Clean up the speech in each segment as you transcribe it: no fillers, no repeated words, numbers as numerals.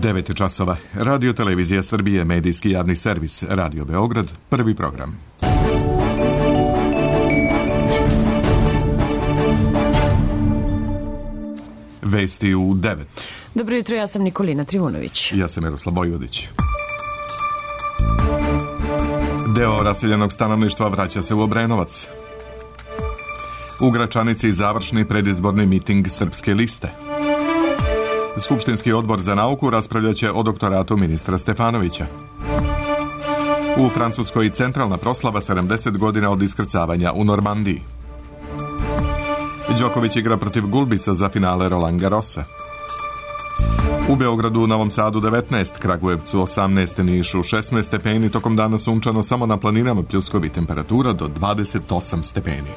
9 časova. Radio Televizija Srbije, medijski javni servis, Radio Beograd, prvi program. Vesti u 9. Dobro jutro, ja sam Nikolina Trivunović. Ja sam Miroslav Bojvodić. Deo raseljenog stanovništva vraća se u Obrenovac. U Gračanici završni predizborni miting Srpske liste. Skupštinski odbor za nauku raspravljaće o doktoratu ministra Stefanovića. U Francuskoj centralna proslava 70 godina od iskrcavanja u Normandiji. Đoković igra protiv Gulbisa za finale Roland Garrosa. U Beogradu, Novom Sadu 19, Kragujevcu 18, Nišu 16 stepeni, tokom dana sunčano, samo na planinama pljuskovi, temperatura do 28 stepeni.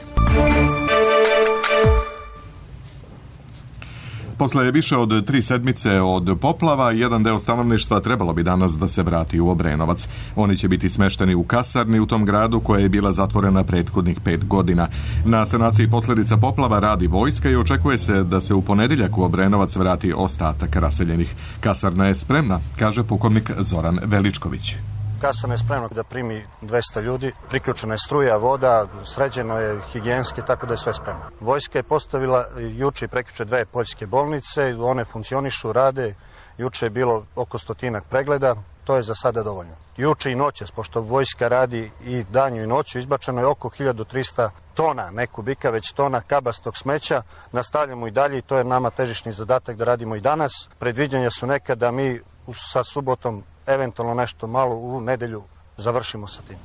Posle više od 3 sedmice od poplava, jedan deo stanovništva trebalo bi danas da se vrati u Obrenovac. Oni će biti smešteni u kasarni u tom gradu koja je bila zatvorena prethodnih 5 godina. Na sanaciji posljedica poplava radi vojska i očekuje se da se u ponedeljak u Obrenovac vrati ostatak raseljenih. Kasarna je spremna, kaže pukovnik Zoran Veličković. Kasarna je spremna da primi 200 ljudi, priključena je struja, voda, sređeno je higijenski, tako da je sve spremno. Vojska je postavila juče i prekjuče 2 poljske bolnice, one funkcionišu, rade, juče je bilo oko 100 pregleda, to je za sada dovoljno. Juče i noćas, pošto vojska radi i danju i noću, izbačeno je oko 1300 tona, ne kubika, već tona kabastog smeća. Nastavljamo i dalje i to je nama težišni zadatak da radimo i danas. Predviđanja su neka da mi sa subotom eventualno nešto malo u nedelju završimo sa tim.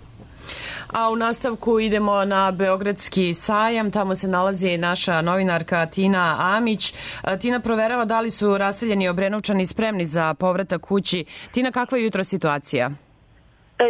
A u nastavku idemo na Beogradski sajam, tamo se nalazi naša novinarka Tina Amić. Tina proverava da li su raseljeni Obrenovčani spremni za povratak kući. Tina, kakva je jutro situacija?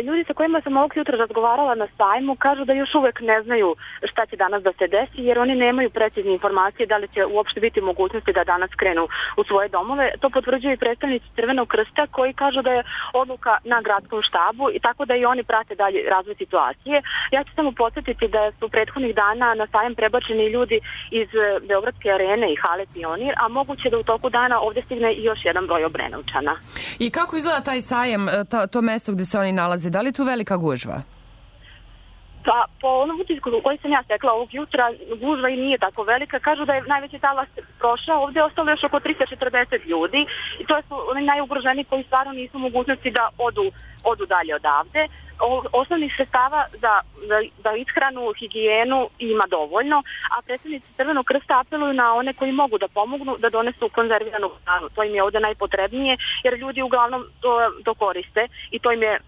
Ljudi sa kojima sam ovog jutra razgovarala na sajmu kažu da još uvek ne znaju šta će danas da se desi, jer oni nemaju precizne informacije da li će uopšte biti mogućnosti da danas krenu u svoje domove. To potvrđuju i predstavnici Crvenog krsta koji kažu da je odluka na gradskom štabu i tako da i oni prate dalje razvoj situacije. Ja ću samo podsjetiti da su prethodnih dana na sajem prebačeni ljudi iz Beogradske arene i hale Pionir, a moguće da u toku dana ovdje stigne i još jedan broj Obrenovčana. I kako izgleda taj sajem, to mesto gde se oni nalaze? Da li je tu velika gužva? Pa, po onom utisku koji sam ja stekla ovog jutra, gužva i nije tako velika. Kažu da je najveći talas prošao. Ovdje je ostalo još oko 340 ljudi i to su oni najugroženiji koji stvarno nisu mogućnosti da odu dalje odavde. Osnovnih sredstava za ishranu, higijenu ima dovoljno, a predstavnici Crvenog krsta apeluju na one koji mogu da pomognu da donesu konzerviranu hranu. To im je ovdje najpotrebnije jer ljudi uglavnom to koriste i to im je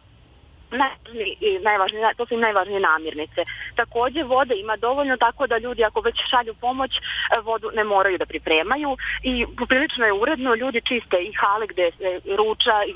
to su im najvažnije namirnice. Također vode ima dovoljno, tako da ljudi ako već šalju pomoć, vodu ne moraju da pripremaju i poprilično je uredno, ljudi čiste i hale gde se ruča i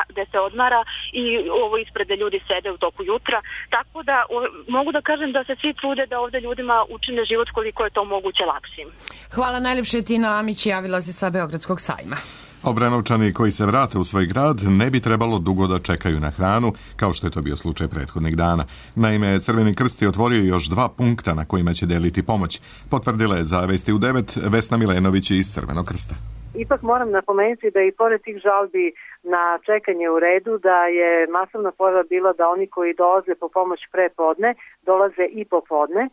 gde se odmara i ovo ispred ljudi sede u toku jutra, tako da mogu da kažem da se svi trude da ovdje ljudima učine život koliko je to moguće lakšim. Hvala najljepše. Tina Amić javila se sa Beogradskog sajma. Obrenovčani koji se vrate u svoj grad ne bi trebalo dugo da čekaju na hranu, kao što je to bio slučaj prethodnih dana. Naime, Crveni krst je otvorio još 2 punkta na kojima će deliti pomoć. Potvrdila je za Vesti u 9 Vesna Milenović iz Crvenog krsta. Ipak moram napomenuti da i pored tih žalbi na čekanje u redu, da je masovna pojava bila da oni koji dolaze po pomoć pre podne, dolaze i popodne,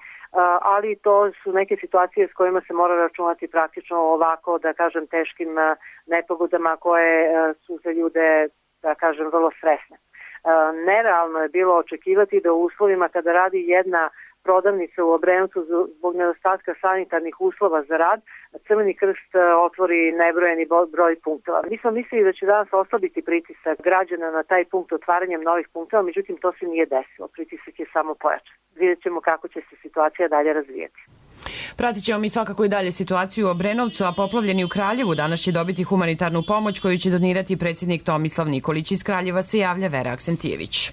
ali to su neke situacije s kojima se mora računati praktično ovako, da kažem, teškim nepogodama koje su za ljude, da kažem, vrlo stresne. Nerealno je bilo očekivati da u uslovima kada radi jedna prodavnica u Obrenovcu zbog nedostatka sanitarnih uslova za rad, Crveni krst otvori nebrojeni broj punktova. Mi smo mislili da će danas oslabiti pritisak građana na taj punkt otvaranjem novih punktova, međutim to se nije desilo. Pritisak je samo pojačan. Vidjet ćemo kako će se situacija dalje razvijeti. Pratit ćemo mi svakako i dalje situaciju u Obrenovcu, a poplavljeni u Kraljevu danas će dobiti humanitarnu pomoć koju će donirati predsjednik Tomislav Nikolić. Iz Kraljeva se javlja Vera Aksentijević.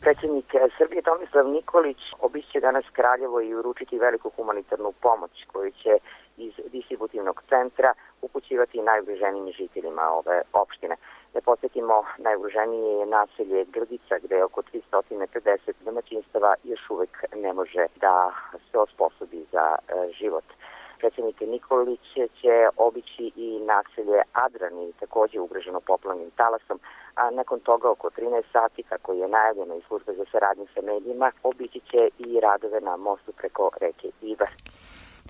Predsjednik Srbije Tomislav Nikolić obiće danas Kraljevo i uručiti veliku humanitarnu pomoć koju će iz distributivnog centra upućivati najugroženijim žiteljima ove opštine. Da podsjetimo, najugroženije je naselje Grdica, gde je oko 350 domaćinstava još uvek ne može da se osposobi za život. Predsjednik Nikolić će obići i naselje Adrani, također takođe ugroženo poplavnim talasom, a nakon toga oko 13 sati, kako je najavljeno iz službe za saradnju sa medijima, obići će i radove na mostu preko reke Ibar.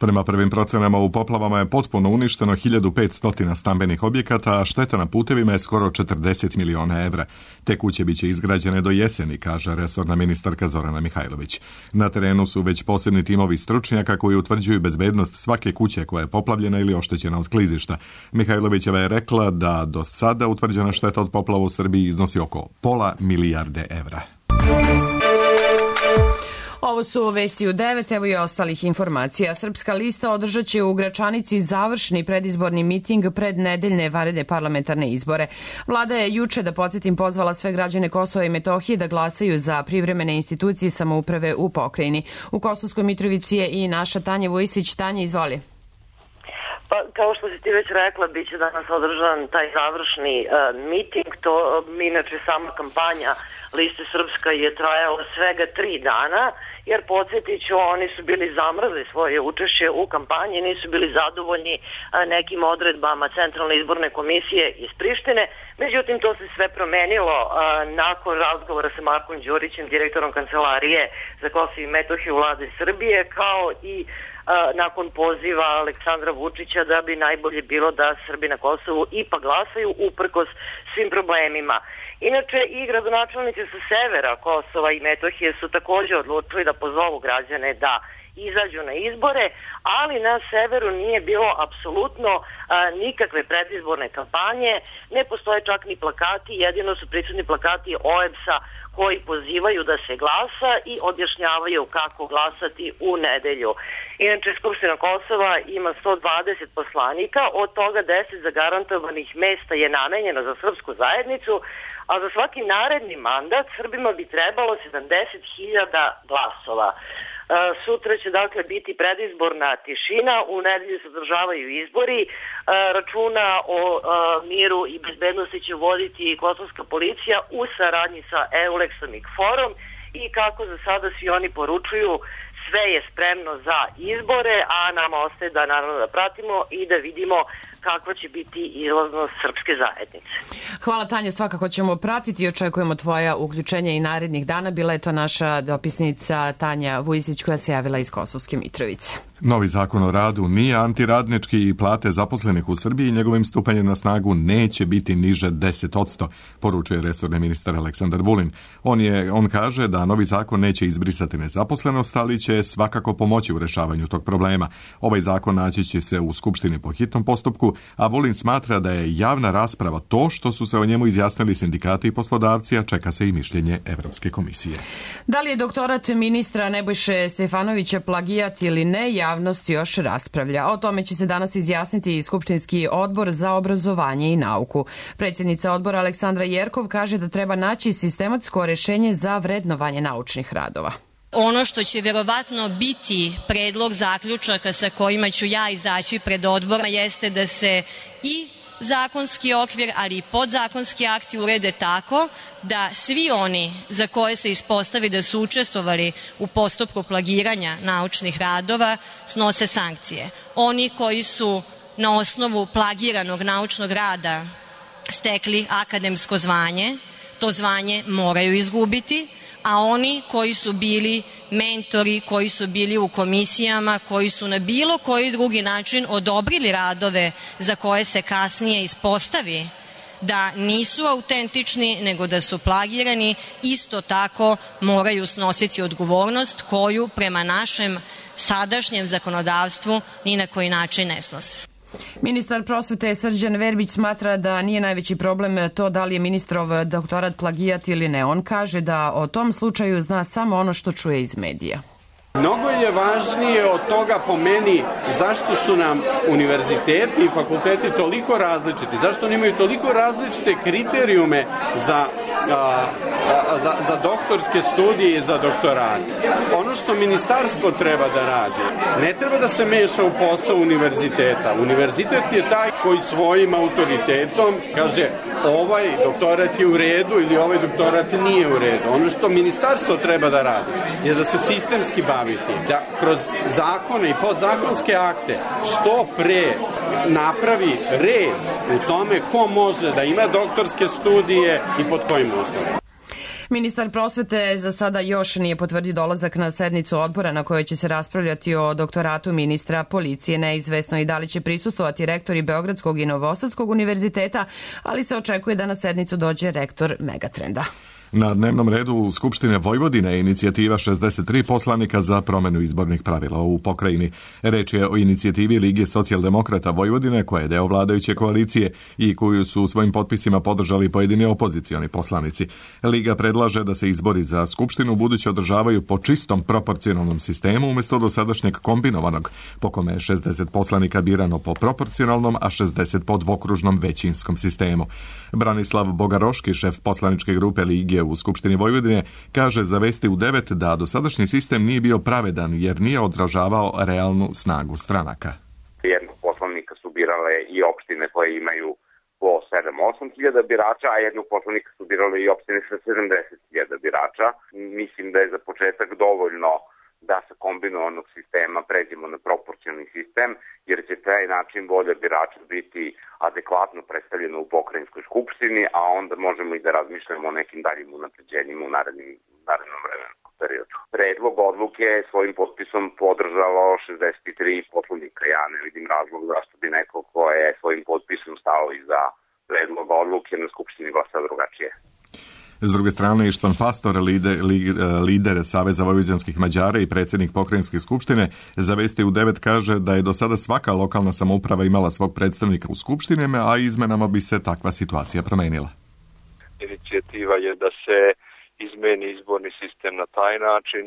Prema prvim procenama u poplavama je potpuno uništeno 1500 stambenih objekata, a šteta na putevima je skoro 40 miliona evra. Te kuće biće izgrađene do jeseni, kaže resorna ministarka Zorana Mihajlović. Na terenu su već posebni timovi stručnjaka koji utvrđuju bezbednost svake kuće koja je poplavljena ili oštećena od klizišta. Mihajlovićeva je rekla da do sada utvrđena šteta od poplava u Srbiji iznosi oko pola milijarde evra. Ovo su vesti u 9, evo i ostalih informacija. Srpska lista održat će u Gračanici završni predizborni miting pred nedeljne vanredne parlamentarne izbore. Vlada je juče, da podsjetim, pozvala sve građane Kosova i Metohije da glasaju za privremene institucije samouprave u pokrajini. U Kosovskoj Mitrovici je i naša Tanja Vujsić. Tanja, izvoli. Pa, kao što si ti već rekla, bit će danas održan taj završni miting. To, inače, sama kampanja Liste Srpska je trajala svega 3 dana, jer podsjetit ću, oni su bili zamrzli svoje učešće u kampanji, nisu bili zadovoljni nekim odredbama Centralne izborne komisije iz Prištine. Međutim, to se sve promenilo nakon razgovora sa Markom Đurićem, direktorom Kancelarije za Kosovo i Metohiju Vlade Srbije, kao i nakon poziva Aleksandra Vučića da bi najbolje bilo da Srbi na Kosovu ipak glasaju uprkos svim problemima. Inače, i gradonačelnici sa severa Kosova i Metohije su takođe odlučili da pozovu građane da izađu na izbore, ali na severu nije bilo apsolutno nikakve predizborne kampanje, ne postoje čak ni plakati, jedino su prisutni plakati OEBS-a koji pozivaju da se glasa i objašnjavaju kako glasati u nedelju. Inače, Skupština Kosova ima 120 poslanika, od toga 10 zagarantovanih mesta je namenjeno za srpsku zajednicu, a za svaki naredni mandat Srbima bi trebalo 70.000 glasova. Sutra će dakle biti predizborna tišina, u nedelju se održavaju izbori, računa o miru i bezbednosti će voditi kosovska policija u saradnji sa EULEX-om i KFOR-om i kako za sada svi oni poručuju, sve je spremno za izbore, a nama ostaje da naravno da pratimo i da vidimo kakva će biti izlaznost srpske zajednice. Hvala Tanja, svakako ćemo pratiti i očekujemo tvoja uključenja i narednih dana. Bila je to naša dopisnica Tanja Vujsić koja se javila iz Kosovske Mitrovice. Novi zakon o radu nije antiradnički i plate zaposlenih u Srbiji njegovim stupanjem na snagu neće biti niže 10%, poručuje resorni ministar Aleksandar Vulin. On kaže da novi zakon neće izbrisati nezaposlenost, ali će svakako pomoći u rešavanju tog problema. Ovaj zakon naći će se u Skupštini po hitnom postupku, a Vulin smatra da je javna rasprava to što su se o njemu izjasnili sindikati i poslodavci, a čeka se i mišljenje Evropske komisije. Da li je doktorat ministra Nebojše Stefanovića plagijat ili ne, javnost još raspravlja. O tome će se danas izjasniti i Skupštinski odbor za obrazovanje i nauku. Predsjednica odbora Aleksandra Jerkov kaže da treba naći sistematsko rešenje za vrednovanje naučnih radova. Ono što će verovatno biti predlog zaključaka sa kojima ću ja izaći pred odbora jeste da se i zakonski okvir, ali i podzakonski akti urede tako da svi oni za koje se ispostavi da su učestvovali u postupku plagiranja naučnih radova snose sankcije. Oni koji su na osnovu plagiranog naučnog rada stekli akademsko zvanje, to zvanje moraju izgubiti, a oni koji su bili mentori, koji su bili u komisijama, koji su na bilo koji drugi način odobrili radove za koje se kasnije ispostavi da nisu autentični, nego da su plagirani, isto tako moraju snositi odgovornost koju prema našem sadašnjem zakonodavstvu ni na koji način ne snose. Ministar prosvete Srđan Verbić smatra da nije najveći problem to da li je ministrov doktorat plagijat ili ne. On kaže da o tom slučaju zna samo ono što čuje iz medija. Mnogo je važnije od toga po meni zašto su nam univerziteti i fakulteti toliko različiti, zašto oni imaju toliko različite kriterijume za za doktorske studije i za doktorate. Ono što ministarstvo treba da radi, ne treba da se meša u posao univerziteta. Univerzitet je taj koji svojim autoritetom kaže ovaj doktorat je u redu ili ovaj doktorat nije u redu. Ono što ministarstvo treba da radi je da se sistemski baviti, da kroz zakone i podzakonske akte što pre napravi red u tome ko može da ima doktorske studije i pod kojim uslovima. Ministar prosvete za sada još nije potvrdio dolazak na sednicu odbora na kojoj će se raspravljati o doktoratu ministra policije. Neizvesno i da li će prisustvovati rektori Beogradskog i Novosadskog univerziteta, ali se očekuje da na sednicu dođe rektor Megatrenda. Na dnevnom redu Skupštine Vojvodine je inicijativa 63 poslanika za promenu izbornih pravila u pokrajini. Reč je o inicijativi Lige socijaldemokrata Vojvodine, koja je deo vladajuće koalicije i koju su svojim potpisima podržali pojedini opozicioni poslanici. Liga predlaže da se izbori za Skupštinu buduće održavaju po čistom proporcionalnom sistemu umjesto dosadašnjeg kombinovanog, po kome je 60 poslanika birano po proporcionalnom, a 60 po dvokružnom većinskom sistemu. Branislav Bogaroški, šef poslaničke grupe Lige u Skupštini Vojvodine, kaže za Vesti u 9 da dosadašnji sistem nije bio pravedan jer nije odražavao realnu snagu stranaka. Jednog poslanika su birale i opštine koje imaju po 7-8 hiljada birača, a jednog poslanika su birale i opštine sa 70 hiljada birača. Mislim da je za početak dovoljno da sa kombinovanog sistema pređemo na proporcionalni sistem, jer će taj način volja birača biti adekvatno predstavljena u pokrajinskoj skupštini, a onda možemo i da razmišljamo o nekim daljim unapređenjima u narednom vremenskom periodu. Predlog odluke je svojim potpisom podržalo 63 poslanika. Ja ne vidim razlog zašto bi neko ko je svojim potpisom stao iza predloga odluke na skupštini glasao drugačije. S druge strane, Ištvan Pastor, lider Saveza vojvođanskih Mađara i predsjednik pokrajinske skupštine, za Vesti u 9 kaže da je do sada svaka lokalna samouprava imala svog predstavnika u skupštinama, a izmenama bi se takva situacija promenila. Inicijativa je da se izmeni izborni sistem na taj način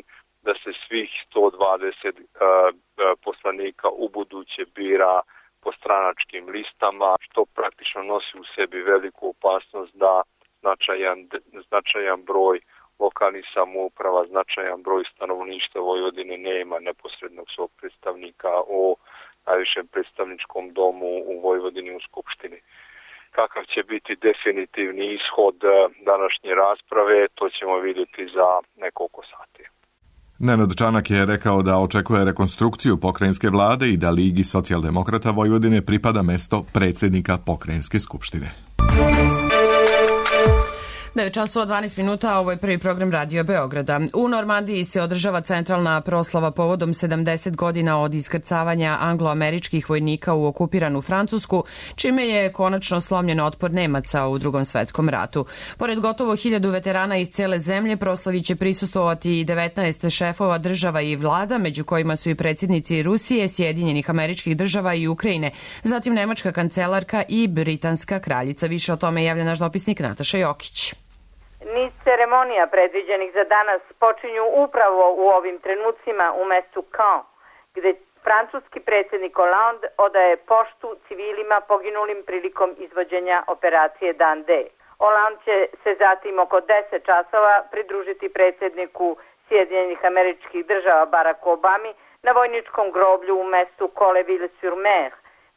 da se svih 120 poslanika u buduće bira po stranačkim listama, što praktično nosi u sebi veliku opasnost da značajan broj lokalnih samouprava, značajan broj stanovništva Vojvodine nema neposrednog svog predstavnika u najvišem predstavničkom domu u Vojvodini u Skupštini. Kakav će biti definitivni ishod današnje rasprave, to ćemo vidjeti za nekoliko sati. Nenad Čanak je rekao da očekuje rekonstrukciju pokrajinske vlade i da Ligi socijaldemokrata Vojvodine pripada mesto predsjednika pokrajinske skupštine. 9:12, ovo je prvi program Radio Beograda. U Normandiji se održava centralna proslava povodom 70 godina od iskrcavanja angloameričkih vojnika u okupiranu Francusku, čime je konačno slomljen otpor Nemaca u Drugom svetskom ratu. Pored gotovo 1000 veterana iz cele zemlje, proslavi će prisustvovati i 19 šefova država i vlada, među kojima su i predsjednici Rusije, Sjedinjenih Američkih Država i Ukrajine, zatim nemačka kancelarka i britanska kraljica. Više o tome javlja naš dopisnik Nataša Jokić. Niz ceremonija predviđenih za danas počinju upravo u ovim trenucima u mestu Caen, gde francuski predsjednik Hollande odaje poštu civilima poginulim prilikom izvođenja operacije Dan D. Hollande će se zatim oko 10 časova pridružiti predsjedniku Sjedinjenih Američkih Država Baracku Obami na vojničkom groblju u mestu Colleville-sur-Mer,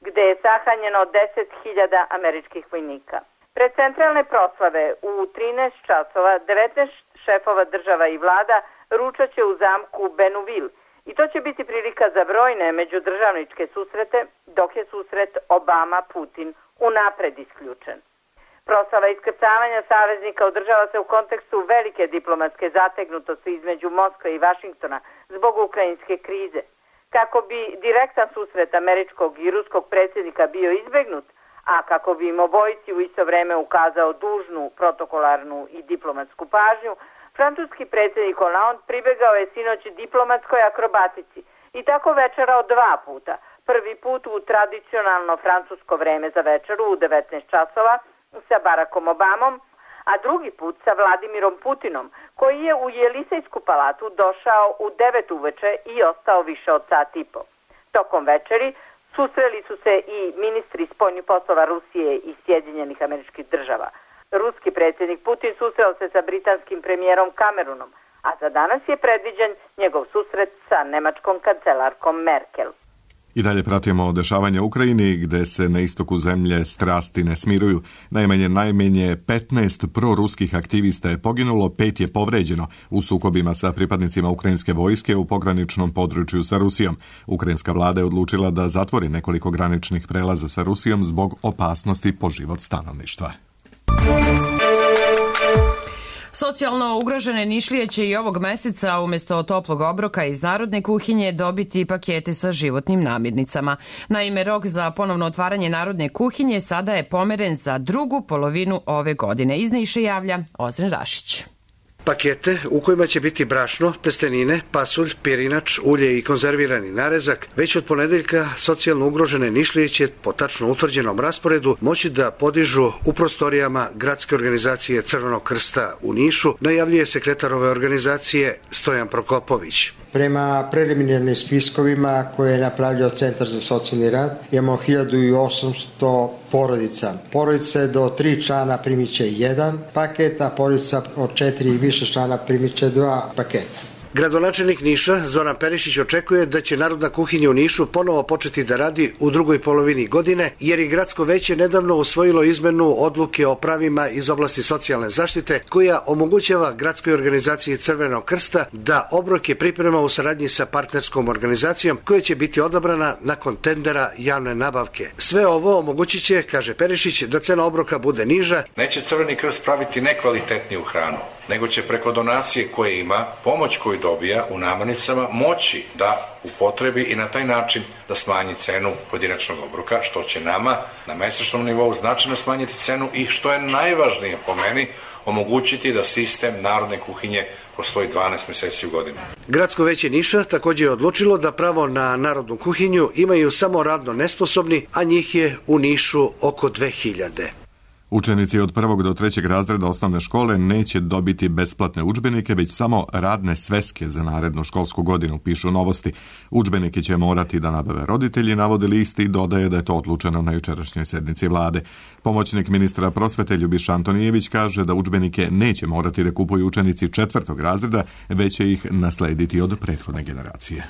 gde je sahranjeno 10.000 američkih vojnika. Pred centralne proslave u 13 časova 19 šefova država i vlada ručat će u zamku Benouville i to će biti prilika za brojne međudržavničke susrete, dok je susret Obama-Putin unapred isključen. Proslava iskrcavanja saveznika održava se u kontekstu velike diplomatske zategnutosti između Moskve i Vašingtona zbog ukrajinske krize. Kako bi direktan susret američkog i ruskog predsjednika bio izbegnut, a kako bi im obojici u isto vreme ukazao dužnu protokolarnu i diplomatsku pažnju, francuski predsjednik Hollande pribegao je sinoć diplomatskoj akrobatici i tako večerao 2 puta. Prvi put u tradicionalno francusko vreme za večeru u 19 časova sa Barackom Obamom, a drugi put sa Vladimirom Putinom, koji je u Jelisejsku palatu došao u 9 uveče i ostao više od sat i po. Tokom večeri susreli su se i ministri spoljnih poslova Rusije i Sjedinjenih Američkih Država. Ruski predsjednik Putin susreo se sa britanskim premijerom Cameronom, a za danas je predviđen njegov susret sa nemačkom kancelarkom Merkel. I dalje pratimo dešavanje u Ukrajini, gde se na istoku zemlje strasti ne smiruju. Najmanje 15 proruskih aktivista je poginulo, 5 je povređeno u sukobima sa pripadnicima ukrajinske vojske u pograničnom području sa Rusijom. Ukrajinska vlada je odlučila da zatvori nekoliko graničnih prelaza sa Rusijom zbog opasnosti po život stanovništva. Socijalno ugrožene Nišlije će i ovog meseca umjesto toplog obroka iz narodne kuhinje dobiti pakete sa životnim namirnicama. Naime, rok za ponovno otvaranje narodne kuhinje sada je pomeren za drugu polovinu ove godine. Iz Niša javlja Ozren Rašić. Pakete u kojima će biti brašno, testenine, pasulj, pirinač, ulje i konzervirani narezak, već od ponedeljka socijalno ugrožene Nišlije će po tačno utvrđenom rasporedu moći da podižu u prostorijama gradske organizacije Crvenog krsta u Nišu, najavljuje sekretar ove organizacije Stojan Prokopović. Prema preliminarnim spiskovima koje je napravljao Centar za socijalni rad, imamo 1800 porodica. Porodice do 3 člana primit će 1 paket, a porodica od 4 i više člana primit će 2 paketa. Gradonačelnik Niša, Zoran Perišić, očekuje da će narodna kuhinja u Nišu ponovo početi da radi u drugoj polovini godine, jer je gradsko veće nedavno usvojilo izmenu odluke o pravima iz oblasti socijalne zaštite, koja omogućava gradskoj organizaciji Crvenog krsta da obroke priprema u saradnji sa partnerskom organizacijom, koja će biti odabrana nakon tendera javne nabavke. Sve ovo omogućit će, kaže Perišić, da cena obroka bude niža. Neće Crveni krst praviti nekvalitetniju hranu, nego će preko donacije koje ima, pomoć koju dobija u namirnicama, moći da upotrebi i na taj način da smanji cenu pojedinačnog obroka, što će nama na mesečnom nivou značajno smanjiti cenu i, što je najvažnije po meni, omogućiti da sistem narodne kuhinje postoji 12 meseci u godinu. Gradsko veće Niša također je odlučilo da pravo na narodnu kuhinju imaju samo radno nesposobni, a njih je u Nišu oko 2000. Učenici od 1. do 3. razreda osnovne škole neće dobiti besplatne udžbenike, već samo radne sveske za narednu školsku godinu, pišu Novosti. Udžbenike će morati da nabave roditelji, navode list i dodaje da je to odlučeno na jučerašnjoj sednici vlade. Pomoćnik ministra prosvete Ljubiša Antonijević kaže da udžbenike neće morati da kupuju učenici 4. razreda, već će ih naslediti od prethodne generacije.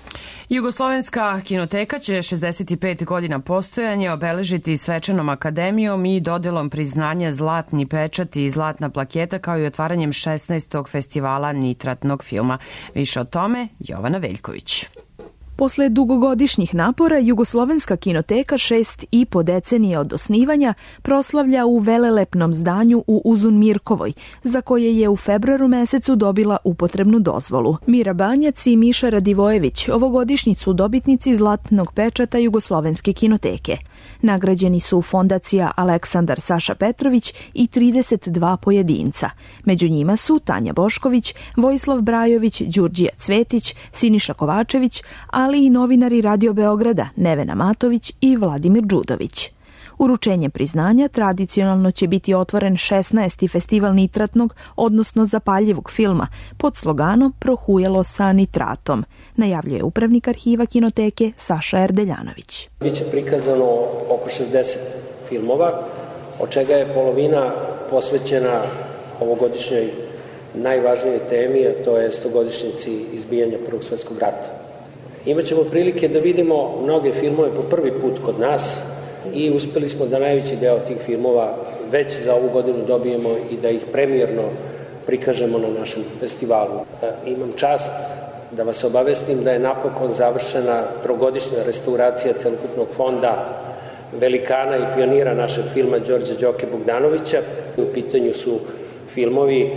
Jugoslovenska kinoteka će 65 godina postojanja obeležiti svečanom akademijom i dodelom priznanja Zlatni pečat i Zlatna plaketa, kao i otvaranjem 16. festivala nitratnog filma. Više o tome Jovana Veljković. Posle dugogodišnjih napora, Jugoslovenska kinoteka 6,5 decenije od osnivanja proslavlja u velelepnom zdanju u Uzun Mirkovoj, za koje je u februaru mesecu dobila upotrebnu dozvolu. Mira Banjac i Miša Radivojević ovogodišnji su dobitnici Zlatnog pečata Jugoslovenske kinoteke. Nagrađeni su fondacija Aleksandar Saša Petrović i 32 pojedinca. Među njima su Tanja Bošković, Vojislav Brajović, Đurđija Cvetić, Siniša Kovačević, ali i novinari Radio Beograda Nevena Matović i Vladimir Đudović. Uručenjem priznanja tradicionalno će biti otvoren 16. festival nitratnog, odnosno zapaljivog filma, pod sloganom Prohujalo sa nitratom, najavljuje upravnik arhiva kinoteke Saša Erdeljanović. Biće prikazano oko 60 filmova, od čega je polovina posvećena ovogodišnjoj najvažnijoj temi, a to je 100-godišnjici izbijanja Prvog svjetskog rata. Imaćemo prilike da vidimo mnoge filmove po prvi put kod nas i uspeli smo da najveći deo tih filmova već za ovu godinu dobijemo i da ih premijerno prikažemo na našem festivalu. Imam čast da vas obavestim da je napokon završena trogodišnja restauracija celokupnog fonda velikana i pionira našeg filma Đorđa Đoke Bogdanovića. U pitanju su filmovi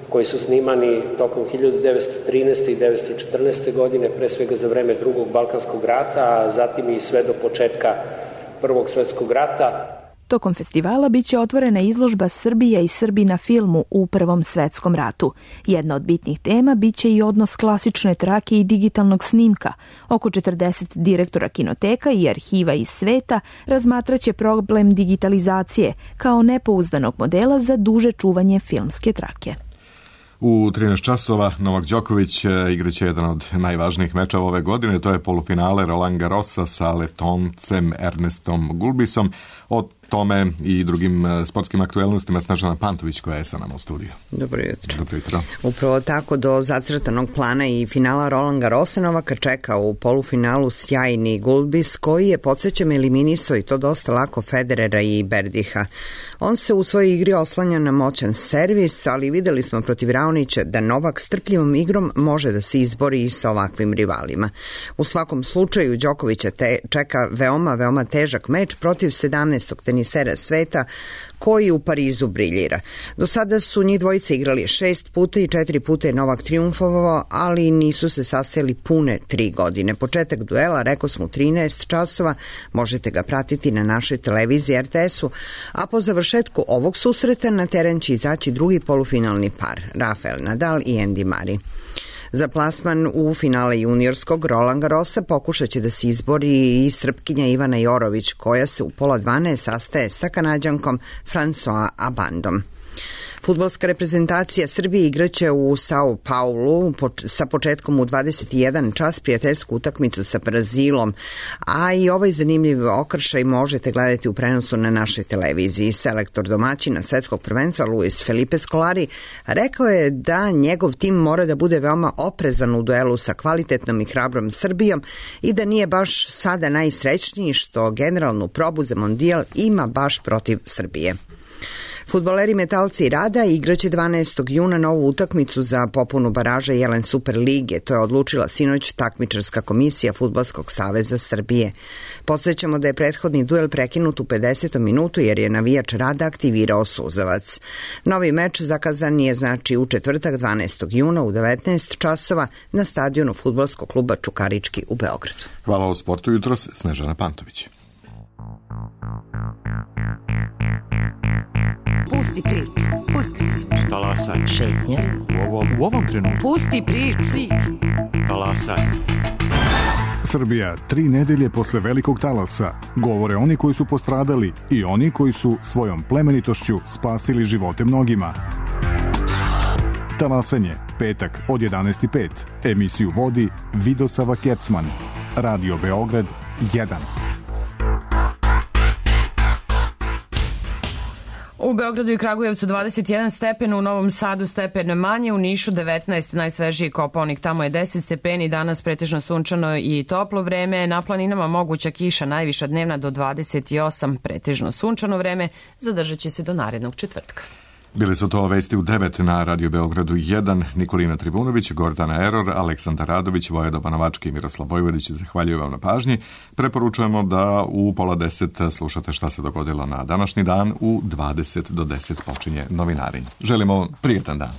koji su snimani tokom 1913. i 1914. godine, pre svega za vreme Drugog Balkanskog rata, a zatim i sve do početka Prvog svjetskog rata. Tokom festivala biće otvorena izložba Srbija i Srbi na filmu u Prvom svetskom ratu. Jedna od bitnih tema biće i odnos klasične trake i digitalnog snimka. Oko 40 direktora kinoteka i arhiva iz sveta razmatraće problem digitalizacije kao nepouzdanog modela za duže čuvanje filmske trake. U 13 časova Novak Đoković igraće jedan od najvažnijih mečeva ove godine, to je polufinale Roland Garrosa sa Letoncem Ernestom Gulbisom. tome i drugim sportskim aktuelnostima Snežana Pantović koja je sa nama u studiju. Dobro jutro. Dobro jutro. Upravo tako do zacrtanog plana i finala Roland Garrosa Novaka čeka u polufinalu sjajni Gulbis koji je, podsjećam, eliminisao i to dosta lako Federera i Berdiha. On se u svojoj igri oslanja na moćan servis, ali videli smo protiv Raonića da Novak strpljivom igrom može da se izbori i sa ovakvim rivalima. U svakom slučaju Đokovića čeka veoma težak meč protiv 17. tenisera sveta koji u Parizu briljira. Do sada su njih dvojica igrali 6 puta i 4 puta je Novak triumfovao, ali nisu se sastajali pune 3 godine. Početak duela, rekao smo, u 13 časova, možete ga pratiti na našoj televiziji RTS-u, a po završetku ovog susreta na teren će izaći drugi polufinalni par, Rafael Nadal i Andy Murray. Za plasman u finale juniorskog Roland Garrosa pokušat će da se izbori i Srpkinja Ivana Jorović, koja se u pola 12 sastaje sa Kanađankom François Abandom. Fudbalska reprezentacija Srbije igraće u Sao Paulu sa početkom u 21 čas prijateljsku utakmicu sa Brazilom, a i ovaj zanimljiv okršaj možete gledati u prenosu na našoj televiziji. Selektor domaćina svetskog prvenstva Luis Felipe Scolari rekao je da njegov tim mora da bude veoma oprezan u duelu sa kvalitetnom i hrabrom Srbijom i da nije baš sada najsrećniji što generalnu probu za mondijal ima baš protiv Srbije. Fudbaleri Metalci Rada igraće 12. juna novu utakmicu za popunu baraža Jelen Super lige. To je odlučila sinoć takmičarska komisija Fudbalskog saveza Srbije. Podsjećamo da je prethodni duel prekinut u 50. minutu jer je navijač Rada aktivirao suzavac. Novi meč zakazan je znači u četvrtak 12. juna u 19 časova na stadionu Fudbalskog kluba Čukarički u Beogradu. Hvala o sportu jutros, Snežana Pantović. Pusti priču. Talasaj. Šetnja. U ovom trenutku. Pusti priču. Talasaj. Srbija 3 nedelje posle velikog talasa. Govore oni koji su postradali i oni koji su svojom plemenitošću spasili živote mnogima. Talasanje, petak od 11:05. Emisiju vodi Vidosava Kecman. Radio Beograd 1. U Beogradu i Kragujevcu 21 stepen, u Novom Sadu stepen manje, u Nišu 19, najsvežiji Kopaonik, tamo je 10 stepeni, danas pretežno sunčano i toplo vreme, na planinama moguća kiša, najviša dnevna do 28, pretežno sunčano vreme, zadržat će se do narednog četvrtka. Bili su to vesti u 9 na Radio Beogradu 1, Nikolina Trivunović, Gordana Eror, Aleksandar Radović, Vojedoba Novački i Miroslav Vojvodić. Zahvaljujem vam na pažnji. Preporučujemo da u pola 10 slušate šta se dogodilo na današnji dan. U 20 do 10 počinje novinarenje. Želimo prijatan dan.